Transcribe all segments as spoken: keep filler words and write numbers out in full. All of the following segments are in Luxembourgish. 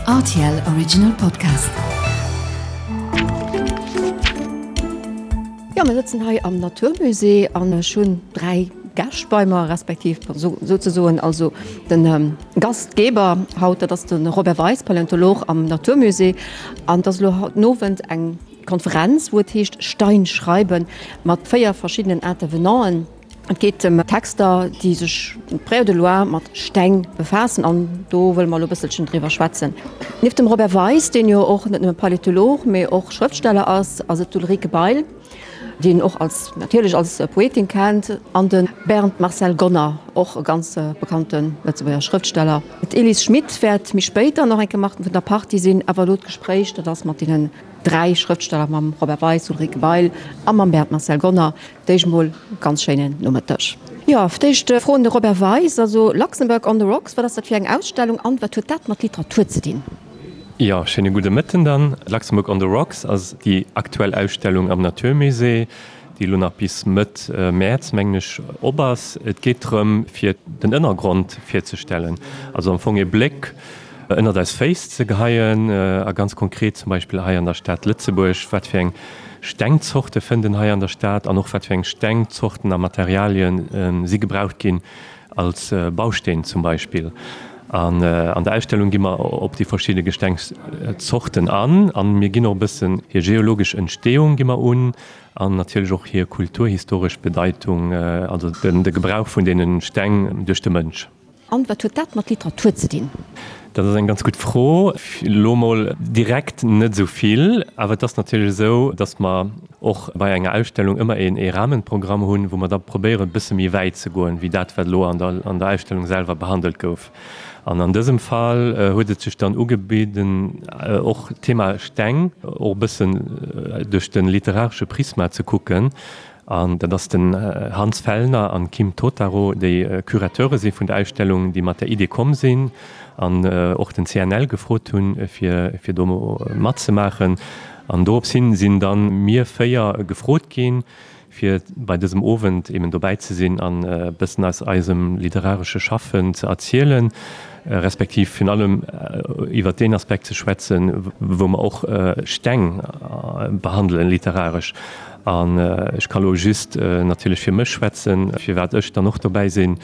R T L Original Podcast. Jo, mir sëtzen hei am Naturmusée an ech hunn dräi Gäscht bei mer, respektiv souzesoen also den Gastgeber haut, dat ass de Robert Weis, Paläontolog am Naturmusée. An et ass elo haut den Owend eng Konferenz, wou et heescht Stein schreiben, mat véier verschiddenen Intervenanten. Et geet ëm Texter, déi sech près ou de loin mat Steng befaassen an do wëlle mer elo e bësselchen driwwer schwätzen. Nieft dem Robert Weis, deen jo och net nëmme Paläontolog, mee och Schrëftsteller ass, ass et d'Ulrike Bail, déi een och als natierlech als Poetin kennt, an de Bernd Marcel Gonner, och e ganz bekannte Lëtzebuerger Schrëftsteller. D'Elise Schmit wäert méi spéit dann nach eng Kéier mat vun der Partie sinn, awer elo d'Gespréich, dat ass mat deenen dräi Schrëftsteller, mam Robert Weis, Ulrike Bail a mam Bernd Marcel Gonner. D'éischt mol ganz schéinen Nomëtteg. Jo, fir d'éischt Fro un de Robert Weis, also Luxembourg on the Rocks, wat ass dat fir eng Ausstellung an wat huet dat mat Literatur ze dinn? Jo, schéine gudde Mëtten dann. Luxembourg on the Rocks ass déi aktuell Ausstellung am Naturmusée, déi elo nach bis Mëtt Mäerz, mengen ech, op ass. Et geet drëm, fir den Ënnergrond virzestellen, also am Fong ee Bléck ënnert eis Féiss ze geheien a ganz konkret zum Beispill hei an der Stad Lëtzebuerg, wat fir eng Stengzorte fënnt en hei an der Stad an och wat fir eng Stengzorten a Materialien si gebraucht ginn als Bausteen zum Beispill. An an der Ausstellung gi mer op déi verschidde Gestengszorten an a mir ginn och e bëssen hir geologesch Entstehung gi mer un an natierlech och hir kulturhistoresch Bedeitung, also de Gebrauch vun deene Steng duerch de Mënsch. An wat huet dat mat Literatur ze dinn? Dat ass eng ganz gutt Fro. Elo mol direkt net esou vill, awer et ass natierlech esou, datt mer och bei enger Ausstellung ëmmer een ee Rahmenprogramm hunn, wou mer da probéieren e bësse méi wäit ze goen, wéi dat wat elo an der an der Ausstellung selwer behandelt gouf. An an dësem Fall huet et sech dann ugebidden, och d'Thema Steng och e bëssen duerch de literaresche Prisma ze kucken. An dat ass den Hans Fellner an Kim Totaro, déi Curateure si vun der Ausstellung, déi mat der Idee komm sinn an och den C N L gefrot hunn, fir fir do matzemaachen. An dorops hin sinn dann mir véier gefrot ginn, fir bei dësem Owend eben dobäi ze sinn an e bëssen aus eisem literaresche Schaffen ze erzielen, respektiv virun allem iwwert deen Aspekt ze schwätzen, wou mer och Steng behandelen literaresch. An ech ka lo just natierlech fir mech schwätzen, firwat ech dann och dobäi sinn.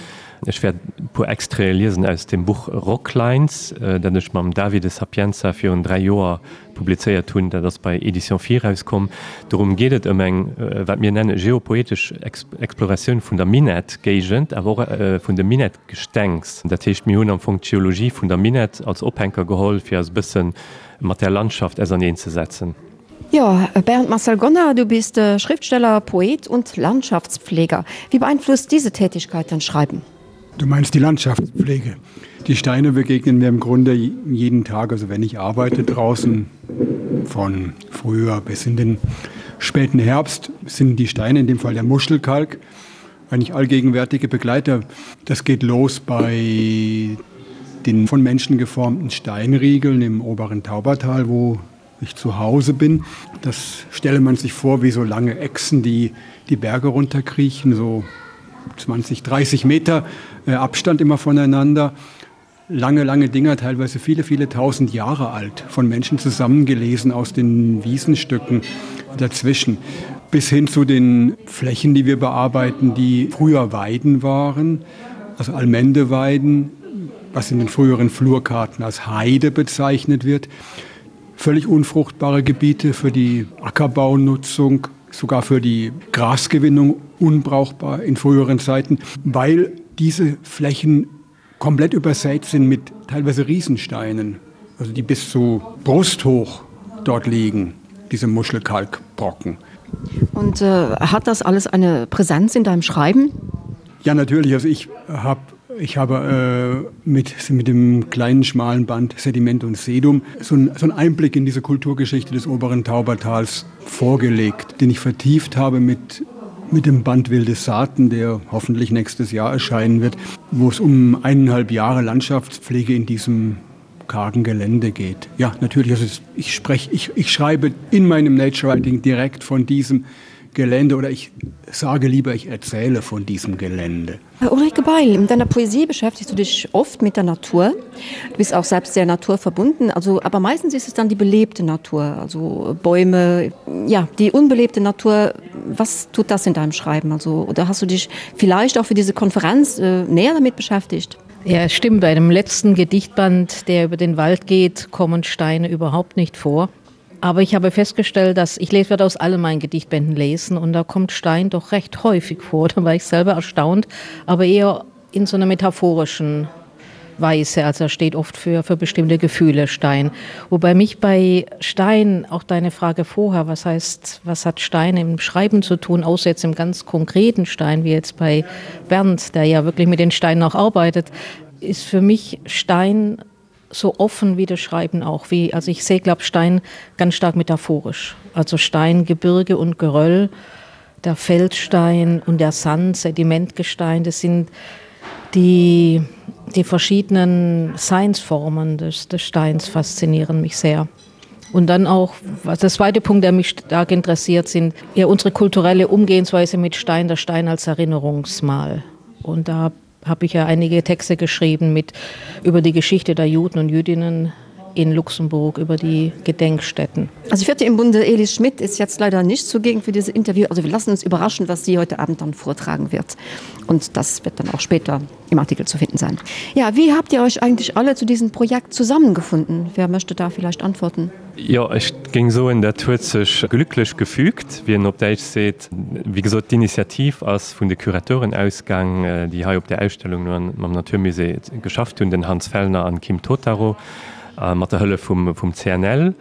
Ech wäert e puer Extraite liesen aus dem Buch Rocklines, dat ech mam Davide Sapienza virun dräi Joer publizéiert hunn. Dat ass bei Éditions Phi erauskomm. Dorëm geet et ëm eng, wat mir nenne geopoetesch Exploratioun vun der Minett-Géigend, awer och vun dem Minett-Gestengs. Dat heescht, mir hunn am Fong d'Geologie vun der Minett als Ophänker geholl, fir eis e bësse mat där Landschaft auserneenzesetzen. Jo, Bernd Marcel Gonner, du bist Schriftsteller, Poet und Landschaftspfleger. Wie beeinflusst diese Tätigkeit dein Schreiben? Du meinst die Landschaftspflege. Die Steine begegnen mir im Grunde jeden Tag, also wenn ich arbeite draußen von früher bis in den späten Herbst sind die Steine, in dem Fall der Muschelkalk, eigentlich allgegenwärtige Begleiter. Das geht los bei den von Menschen geformten Steinriegeln im oberen Taubertal, wo ich zu Hause bin. Das stelle man sich vor wie so lange Echsen, die die Berge runterkriechen, so zwanzig, dreißig Meter äh, Abstand immer voneinander. Lange, lange Dinger, teilweise viele, viele tausend Jahre alt, von Menschen zusammengelesen aus den Wiesenstücken dazwischen, bis hin zu den Flächen, die wir bearbeiten, die früher Weiden waren, also Allmendeweiden, was in den früheren Flurkarten als Heide bezeichnet wird. Völlig unfruchtbare Gebiete für die Ackerbaunutzung, sogar für die Grasgewinnung unbrauchbar in früheren Zeiten, weil diese Flächen komplett übersät sind mit teilweise Riesensteinen, also die bis zu brusthoch dort liegen, diese Muschelkalkbrocken. Und äh, hat das alles eine Präsenz in deinem Schreiben? Ja, natürlich. Also ich habe ich habe äh, mit, mit dem kleinen schmalen Band Sediment und Sedum so, ein, so einen Einblick in diese Kulturgeschichte des oberen Taubertals vorgelegt, den ich vertieft habe mit, mit dem Band Wilde Saaten, der hoffentlich nächstes Jahr erscheinen wird, wo es um eineinhalb Jahre Landschaftspflege in diesem kargen Gelände geht. Ja, natürlich, also ich, sprech, ich, ich schreibe in meinem Nature Writing direkt von diesem Gelände oder ich sage lieber, ich erzähle von diesem Gelände. Ulrike Bail, in deiner Poesie beschäftigst du dich oft mit der Natur. Du bist auch selbst sehr naturverbunden, also, aber meistens ist es dann die belebte Natur, also Bäume, ja, die unbelebte Natur. Was tut das in deinem Schreiben? Also, oder hast du dich vielleicht auch für diese Konferenz äh, näher damit beschäftigt? Ja, es stimmt. Bei dem letzten Gedichtband, der über den Wald geht, kommen Steine überhaupt nicht vor. Aber ich habe festgestellt, dass ich lese, werde aus allen meinen Gedichtbänden lesen und da kommt Stein doch recht häufig vor. Da war ich selber erstaunt, aber eher in so einer metaphorischen Weise. Also er steht oft für, für bestimmte Gefühle Stein. Wobei mich bei Stein auch deine Frage vorher, was heißt, was hat Stein im Schreiben zu tun, außer jetzt im ganz konkreten Stein, wie jetzt bei Bernd, der ja wirklich mit den Steinen auch arbeitet, ist für mich Stein so offen wie das Schreiben auch wie also ich sehe glaube Stein ganz stark metaphorisch also Stein Gebirge und Geröll der Feldstein und der Sand Sedimentgestein das sind die die verschiedenen Seinsformen des, des Steins faszinieren mich sehr und dann auch was der zweite Punkt der mich stark interessiert sind ja unsere kulturelle Umgehensweise mit Stein der Stein als Erinnerungsmal und da habe ich ja einige Texte geschrieben mit über die Geschichte der Juden und Jüdinnen in Luxemburg über die Gedenkstätten. Also vierte im Bunde Elis Schmidt ist jetzt leider nicht zugegen für dieses Interview. Also wir lassen uns überraschen, was sie heute Abend dann vortragen wird. Und das wird dann auch später im Artikel zu finden sein. Ja, wie habt ihr euch eigentlich alle zu diesem Projekt zusammengefunden? Wer möchte da vielleicht antworten? Jo, ech géing soen, dat huet sech glücklech gefügt, wéi een op Däitsch seet. Wéi gesot, d'Initiativ ass vun de Curateuren ausgaang, déi hei op der Ausstellung mam Naturmusée geschafft hunn, den Hans Fellner an Kim Totaro, mat der Hëllef vum vum C N L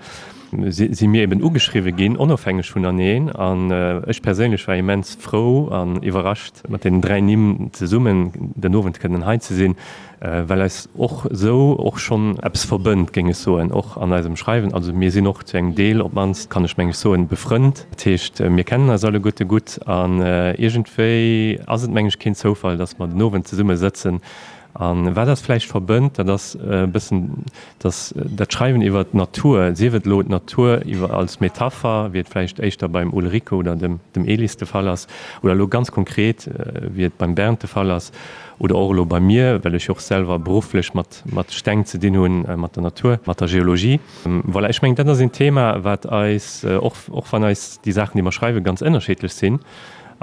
si mir eben ugeschriwwe ginn, onofhängeg vuneneen. An ech perséinlech war immens frou an iwwerrascht, mat deenen dräi Nimm zesummen den Owend kënnen hei ze sinn, well eis och esou och schonn eppes verbënnt, géing ech soen, och an eisem Schreiwen. Also mir sinn och zu engem Deel, op d'mannst kann ech meng ech soen, befrënnt. Dat heescht, mir kennen eis alleguerte gutt an iergendwéi ass et meng ech keen Zoufall, datt mer den Owend zesumme sëtzen. An wat eis vläicht verbënnt, dat ass e bëssen, dass dat Schreiwen iwwer d'Natur, sief et elo d'Natur iwwer als Metapher, wéi et vläicht éischter beim Ulrike oder dem dem Elis de Fall ass, oder elo ganz konkret, wéi et beim Bernd de Fall ass, oder och elo bei mir, well ech jo och selwer berufflech mat mat Steng ze dinn hunn, mat der Natur, mat der Geologie. Voilà, ech mengen, dat ass een Thema, wat eis, och och wann eis déi Saachen, déi mer schreiwen, ganz ënnerschiddlech sinn,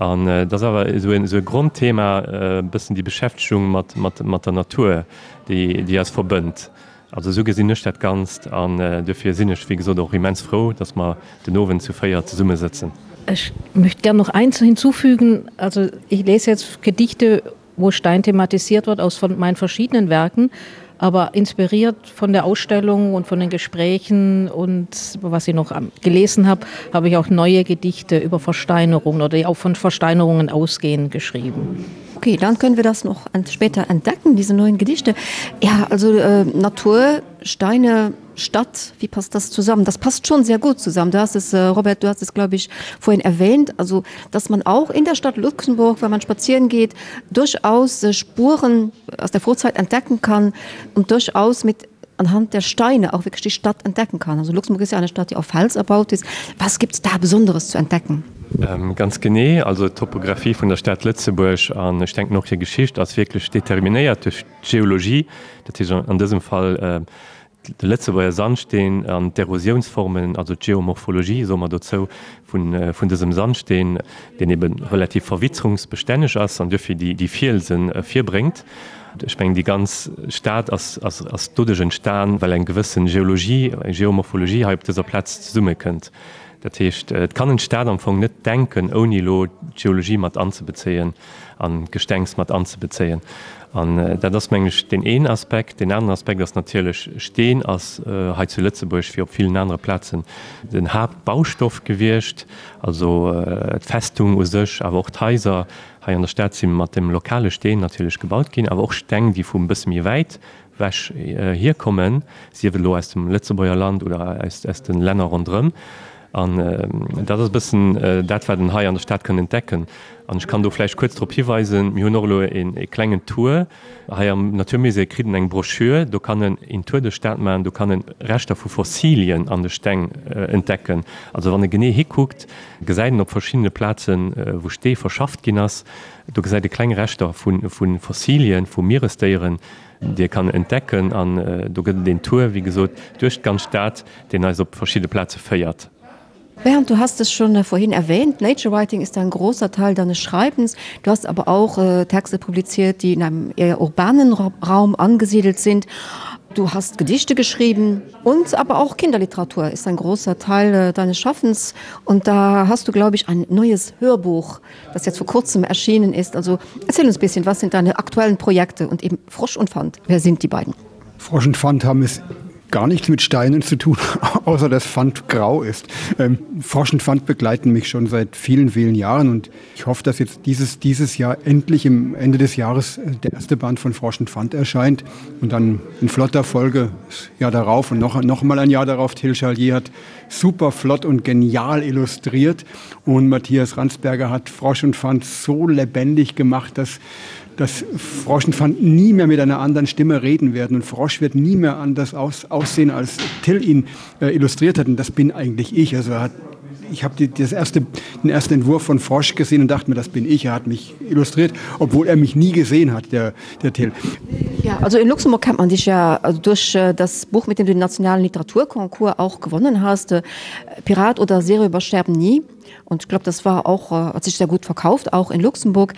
An et ass awer esou en, esou e Grondthema, e bëssen déi Beschäftegung mat, mat, mat der Natur, déi, déi eis verbënnt. Also esou gesinn ech dat Ganzt an duerfir sinn ech, wéi gesot, och immens frou, dass mer den Owend zu véier zesummesëtzen. Ech möchte gern noch eins hinzufügen. Also ich lese jetzt Gedichte, wo Stein thematisiert wird aus von meinen verschiedenen Werken, aber inspiriert von der Ausstellung und von den Gesprächen und was ich noch gelesen habe, habe ich auch neue Gedichte über Versteinerungen oder die auch von Versteinerungen ausgehen geschrieben. Okay, dann können wir das noch später entdecken, diese neuen Gedichte. Ja, also äh, Natur, Steine, Stadt, wie passt das zusammen? Das passt schon sehr gut zusammen. Du hast es, äh, Robert, du hast es, glaube ich, vorhin erwähnt, also dass man auch in der Stadt Luxemburg, wenn man spazieren geht, durchaus äh, Spuren aus der Vorzeit entdecken kann und durchaus mit anhand der Steine auch wirklich die Stadt entdecken kann. Also Luxemburg ist ja eine Stadt, die auf Fels erbaut ist. Was gibt es da Besonderes zu entdecken? Ähm, ganz genee, also d'Topographie vun der Stad Lëtzebuerg an ech denken och hir Geschicht ass wierklech determinéiert duerch d'Geologie, dat heescht an dësem Fall de Lëtzebuerger Sandsteen an d'Erosiounsformen, also d'Geomorphologie, soe mer dozou, vun vun dësem Sandsteen, deen ebe relativ verwitzerungsbestänneg ass an duerfir déi déi Fielse virbréngt. Ech mengen, déi ganz Stad ass ass ass doduerch entstan, well eng gewëssen Geologie, eng Geomorphologie hei op dëser Plaz zesummekënnt. Dat heescht, et kann een d'Stad am Fong net denken, ouni elo d'Geologie mat anzebezéien an d'Gestengs mat anzebezéien. An dat ass, mengen ech, deen een Aspekt. Deen aneren Aspekt ass natierlech, Steen ass hei zu Lëtzebuerg wéi op villen anere Plazen den Haaptbaustoff gewiescht, also d'Festung u sech, awer och d'Haiser hei an der Stad si mat dem lokale Steen natierlech gebaut ginn, awer och Steng, déi vu e bësse méi wäit wech hierkommen, sief et elo aus dem Lëtzebuerger Land oder aus, aus de Länner ronderëm. An dat ass e bëssen dat, wat en hei an der Stad kann entdecken. An ech kann do vläicht kuerz drop hiweisen, mir hunn och elo e klengen Tour hei am Naturmusée, kritt en eng Broschür, do kann en een Tour duerch d'Stad maachen, do kann en Reschter vu Fossilien an de Steng entdecken. Also wann e genee hikuckt, gesäit en op verschiddene Plazen, wou Stee verschafft ginn ass, do gesäit e kleng Reschter vu Fossilien, vu Mieresdéieren, déi e kann entdecken. An do gëtt et een Tour, wéi gesot, duerch d'ganz Stad, deen eis op verschidde Plaze féiert. Bernd, du hast es schon äh, vorhin erwähnt. Nature Writing ist ein großer Teil deines Schreibens. Du hast aber auch äh, Texte publiziert, die in einem eher urbanen Raum angesiedelt sind. Du hast Gedichte geschrieben und aber auch Kinderliteratur ist ein großer Teil äh, deines Schaffens. Und da hast du, glaube ich, ein neues Hörbuch, das jetzt vor kurzem erschienen ist. Also erzähl uns ein bisschen, was sind deine aktuellen Projekte und eben Frosch und Pfand. Wer sind die beiden? Frosch und Pfand haben es gar nichts mit Steinen zu tun, außer dass Pfand grau ist. Ähm, Frosch und Pfand begleiten mich schon seit vielen, vielen Jahren und ich hoffe, dass jetzt dieses, dieses Jahr endlich im Ende des Jahres äh, der erste Band von Frosch und Pfand erscheint und dann in flotter Folge das Jahr darauf und noch, noch mal ein Jahr darauf. Till Charlier hat super flott und genial illustriert und Matthias Ransberger hat Frosch und Pfand so lebendig gemacht, dass dass Frosch und Pfand nie mehr mit einer anderen Stimme reden werden und Frosch wird nie mehr anders aus, aussehen, als Till ihn äh, illustriert hat. Und das bin eigentlich ich. Also er hat, ich habe das erste, den ersten Entwurf von Frosch gesehen und dachte mir, das bin ich. Er hat mich illustriert, obwohl er mich nie gesehen hat, der, der Till. Ja, also in Luxemburg kennt man dich ja also durch äh, das Buch, mit dem du den nationalen Literaturkonkur auch gewonnen hast, äh, Pirat oder Seeröber sterben nie. Und ich glaube, das war auch, äh, hat sich sehr gut verkauft, auch in Luxemburg.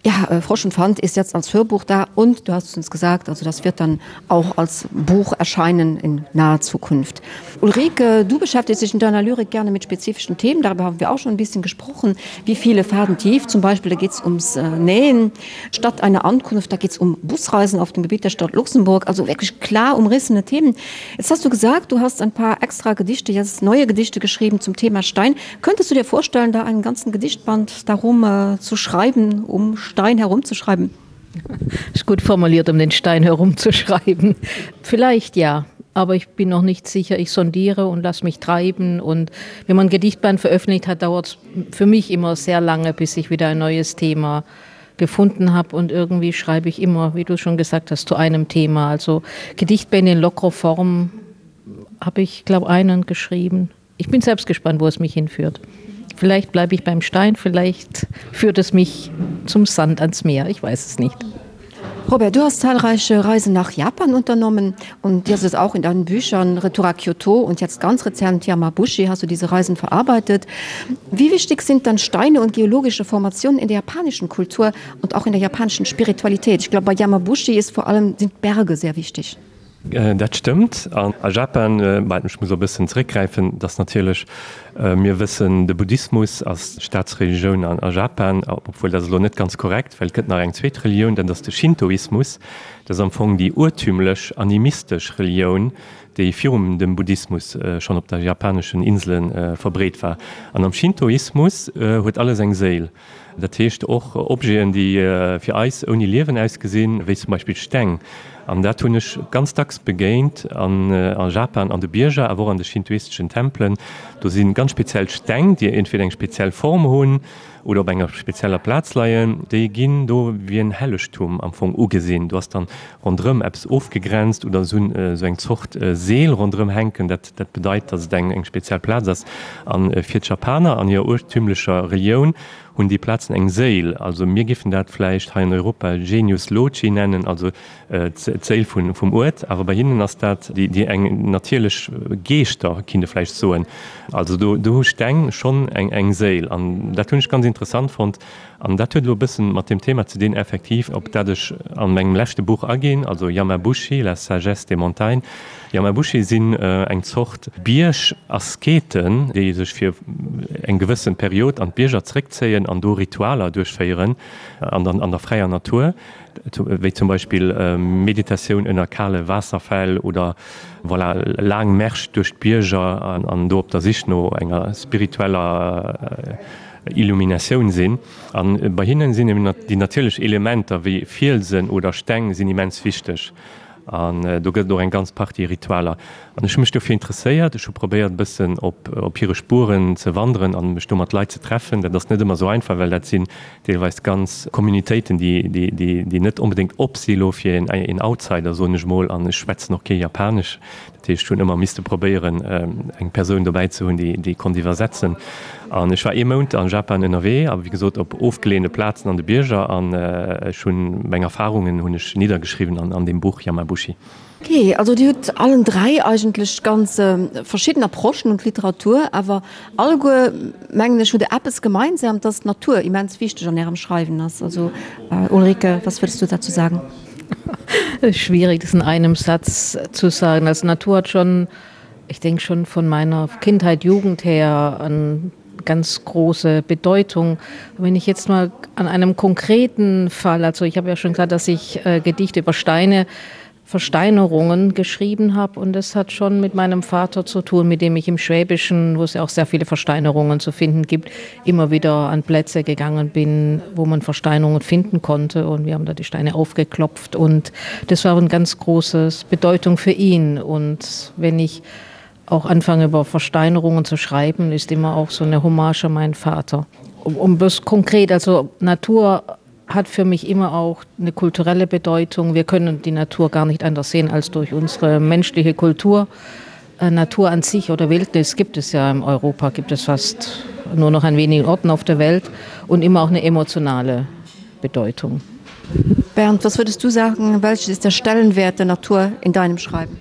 Ja, äh, Frosch und Pfand ist jetzt als Hörbuch da und du hast es uns gesagt, also das wird dann auch als Buch erscheinen in naher Zukunft. Ulrike, du beschäftigst dich in deiner Lyrik gerne mit spezifischen Themen, darüber haben wir auch schon ein bisschen gesprochen. Wie viele Faden tief, zum Beispiel, da geht es ums äh, Nähen. Statt einer Ankunft, da geht es um Busreisen auf dem Gebiet der Stadt Luxemburg, also wirklich klar umrissene Themen. Jetzt hast du gesagt, du hast ein paar extra Gedichte, jetzt neue Gedichte geschrieben zum Thema Stein. Könntest du dir vorstellen, da einen ganzen Gedichtband darum äh, zu schreiben, um Stein herumzuschreiben? Ist gut formuliert, um den Stein herumzuschreiben. Vielleicht ja, aber ich bin noch nicht sicher. Ich sondiere und lasse mich treiben. Und wenn man ein Gedichtband veröffentlicht hat, dauert es für mich immer sehr lange, bis ich wieder ein neues Thema gefunden habe. Und irgendwie schreibe ich immer, wie du schon gesagt hast, zu einem Thema. Also Gedichtbände in lockerer Form habe ich, glaube einen geschrieben. Ich bin selbst gespannt, wo es mich hinführt. Vielleicht bleibe ich beim Stein, vielleicht führt es mich zum Sand ans Meer. Ich weiß es nicht. Robert, du hast zahlreiche Reisen nach Japan unternommen und das ist auch in deinen Büchern Retour à Kyoto und jetzt ganz rezent Yamabushi hast du diese Reisen verarbeitet. Wie wichtig sind dann Steine und geologische Formationen in der japanischen Kultur und auch in der japanischen Spiritualität? Ich glaube, bei Yamabushi ist vor allem sind Berge sehr wichtig. Dat stëmmt. An a Japan, mä ech muss e bëssen zréckgräifen, dass natierlech, mir wëssen, de Buddhismus ass d'Staatsrelioun an a Japan, obwuel dat ass elo net ganz korrekt, well et gëtt nach eng zweet Relioun, dat ass de Shintoismus. Dat ass am Fong déi urtümlech animistesch Relioun, déi virum dem Buddhismus schonn op der japaneschen Insele verbreet war. An am Shintoismus huet alles eng Séil. Dat heescht och Objeten, déi fir eis ouni Liewen ausgesinn, wéi zum Beispill Steng. An dat hunn ech ganz dacks begéint an a Japan an de Bierger, awer och an de shintoisteschen Tempelen. Do si ganz speziell Steng, déi entweder eng speziell Form hunn oder op enger spezieller Plaz leien. Déi ginn do wéi en Hellegtum am Fong ugesinn. Do ass dann ronderëm eppes ofgegrenzt oder se hunn esou eng Zort Seel ronderëm hänken. Dat dat bedeit, datt et eng eng speziell Plaz ass. An fir d'Japaner an hirer urtümlecher Relioun hunn déi Plazen eng Séil. Also mir giffen dat vläicht hei an Europa Genius loci nennen, also d'Séil vum Uert. Awer bei hinnen ass dat déi eng natierlech Geeschter, kinnt e vläicht soen. Also do do hu Steng schonn eng eng Séil. An dat hunn ech ganz interessant fonnt. An dat huet elo e bëssen mat deem Thema ze dinn effektiv, op dat ech an mengem leschte Buch aginn, also Yamabushi, la sagesse des montagnes. Yamabushi sinn eng Zort Bierg-Asketen, déi sech fir eng gewëssen Period an d'Bierger zréckzéien an do Ritualer duerchféieren an der an der fräier Natur, wéi zum Beispill Meditatioun ënner kale Waasserfäll oder voilà laang Märsch duerch d'Bierger an do op der Sich no enger spiritueller Illuminatioun sinn. An bei hinnen sinn eben déi natierlech Elementer wéi Fielsen oder Steng sinn immens wichteg. An do gëtt et och eng ganz Partie Ritualer. An ech hu mech dofir interesséiert, ech hu probéiert e bëssen op op hire Spueren ze wanderen an mech do mat Leit ze treffen. Dat ass net ëmmer esou einfach, well dat sinn deelweis ganz Communitéiten, déi déi déi déi net onbedéngt op si lo fir een een Outsider, soen ech mol. An ech schwätzen och kee Japanesch. Dat heescht, ech hunn ëmmer misste probéieren, eng Persoun dobäi ze hunn, déi déi konnt iwwersetzen. An ech war ee Mount a Japan ënnerwee, a wéi gesot op ofgeleeëne Plazen an de Bierger, an ech hunn meng Erfarungen hunn ech niddergeschriwwen an an deem Buch Yamabushi. Ok, also Dir hutt allen dräi eigentlech ganz verschidden Approchen un d'Literatur, awer alleguer, mengen ech, hutt Der eppes gemeinsam, dass d'Natur immens wichteg an Ärem Schreiwen ass. Also Ulrike, was würdest du dazu sagen? Schwierig, das in einem Satz zu sagen. Also Natur hat schon, ich denke schon von meiner Kindheit, Jugend her an ganz große Bedeutung. Wenn ich jetzt mal an einem konkreten Fall, also ich habe ja schon gesagt, dass ich äh, Gedichte über Steine, Versteinerungen geschrieben habe und das hat schon mit meinem Vater zu tun, mit dem ich im Schwäbischen, wo es ja auch sehr viele Versteinerungen zu finden gibt, immer wieder an Plätze gegangen bin, wo man Versteinerungen finden konnte und wir haben da die Steine aufgeklopft und das war eine ganz große Bedeutung für ihn und wenn ich auch anfange über Versteinerungen zu schreiben, ist immer auch so eine Hommage an meinen Vater. Um, um bloß konkret, also Natur hat für mich immer auch eine kulturelle Bedeutung. Wir können die Natur gar nicht anders sehen als durch unsere menschliche Kultur. Äh, Natur an sich oder Wildnis gibt es ja in Europa, gibt es fast nur noch an wenigen Orten auf der Welt und immer auch eine emotionale Bedeutung. Bernd, was würdest du sagen, welches ist der Stellenwert der Natur in deinem Schreiben?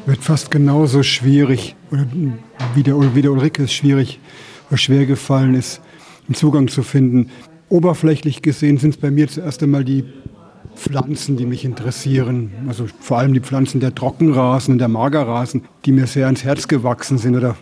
Wird fast genauso schwierig oder wie der, wie der Ulrike es schwierig oder schwer gefallen ist, einen Zugang zu finden. Oberflächlich gesehen sind es bei mir zuerst einmal die Pflanzen, die mich interessieren. Also vor allem die Pflanzen der Trockenrasen und der Magerrasen, die mir sehr ans Herz gewachsen sind oder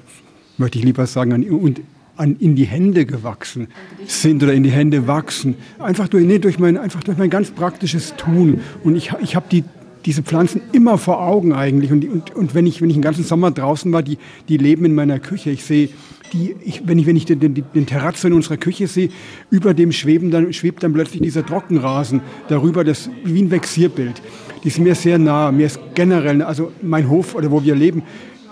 möchte ich lieber sagen, an, und an, in die Hände gewachsen sind oder in die Hände wachsen. Einfach durch, nee, durch, mein, einfach durch mein ganz praktisches Tun. Und ich, ich habe die, diese Pflanzen immer vor Augen eigentlich. Und, und, und wenn ich, wenn ich den ganzen Sommer draußen war, die, die leben in meiner Küche. Ich sehe die, ich, wenn ich, wenn ich den, den, den Terrazzo in unserer Küche sehe, über dem schweben dann, schwebt dann plötzlich dieser Trockenrasen darüber, das wie ein Vexierbild. Die ist mir sehr nah. Mir ist generell, also mein Hof oder wo wir leben,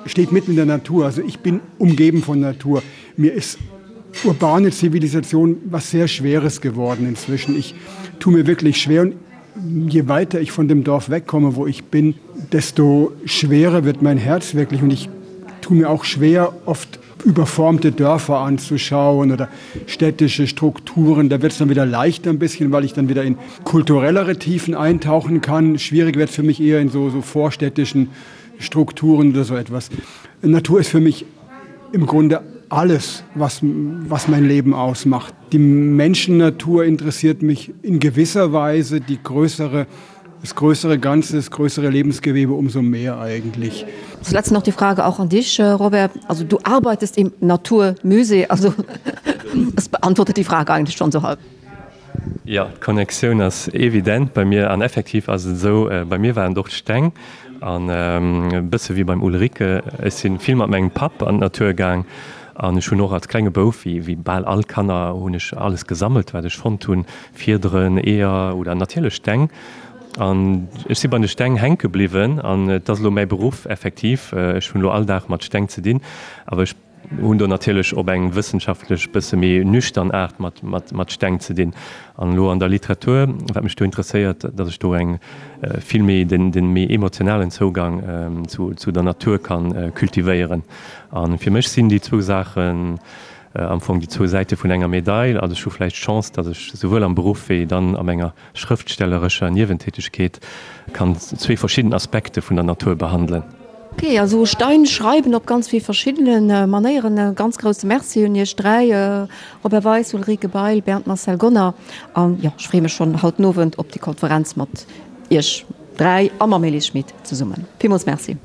steht mitten in der Natur. Also ich bin umgeben von Natur. Mir ist urbane Zivilisation was sehr Schweres geworden inzwischen. Ich tue mir wirklich schwer und je weiter ich von dem Dorf wegkomme, wo ich bin, desto schwerer wird mein Herz wirklich und ich tue mir auch schwer, oft überformte Dörfer anzuschauen oder städtische Strukturen. Da wird es dann wieder leichter ein bisschen, weil ich dann wieder in kulturellere Tiefen eintauchen kann. Schwierig wird es für mich eher in so, so vorstädtischen Strukturen oder so etwas. Natur ist für mich im Grunde alles, was, was mein Leben ausmacht. Die Menschennatur interessiert mich in gewisser Weise, die größere, das größere Ganze, das größere Lebensgewebe umso mehr eigentlich. Zuletzt noch die Frage auch an dich, äh, Robert. Also du arbeitest im Naturmusee, also das beantwortet die Frage eigentlich schon so halb. Ja, d'Connectioun ass evident bei mir an effektiv ass et esou, bei mir waren et och d'Steng an e bësse wéi beim Ulrike, ech si vill mat mengem Papp an d'Natur gaang an ech hunn och als klenge Bouf, wéi wéi bal all Kanner, hunn ech alles gesammelt wat ech fonnt hunn, Fiederen, Eeër oder natierlech Steng an ech si bei de Steng hänke bliwwen an et ass elo mäi Beruff effektiv, ech hunn elo all Dag mat Steng ze dinn, awer ech hunn do natierlech op eng wëssenschaftlech, bësse méi nüchtern Aart mat, mat, mat Steng ze dinn. An elo an der Literatur, wat mech do interesséiert, datt ech do eng vill méi, den, den méi emotionalen Zougang zu, zu der Natur kann kultivéieren. A fir mech sinn déi zwou Saachen am Fong déi zwou Säite vun enger Medail. Also ech hu vläicht d'Chance, datt ech souwuel am Beruff wéi dann a menger schrëftstellerescher Niewentätegkeet kann zwee verschidden Aspekte vun der Natur behandelen. Ok, also Stein schreiben op ganz vill verschiddene Manéieren. E ganz grousse Merci un iech dräi, Robert Weis, Ulrike Bail, Bernd Marcel Gonner. An jo, ech freeë mech schonn haut den Owend op déi Konferenz mat iech dräi a mam Elis Schmit zesummen. Villmools Merci.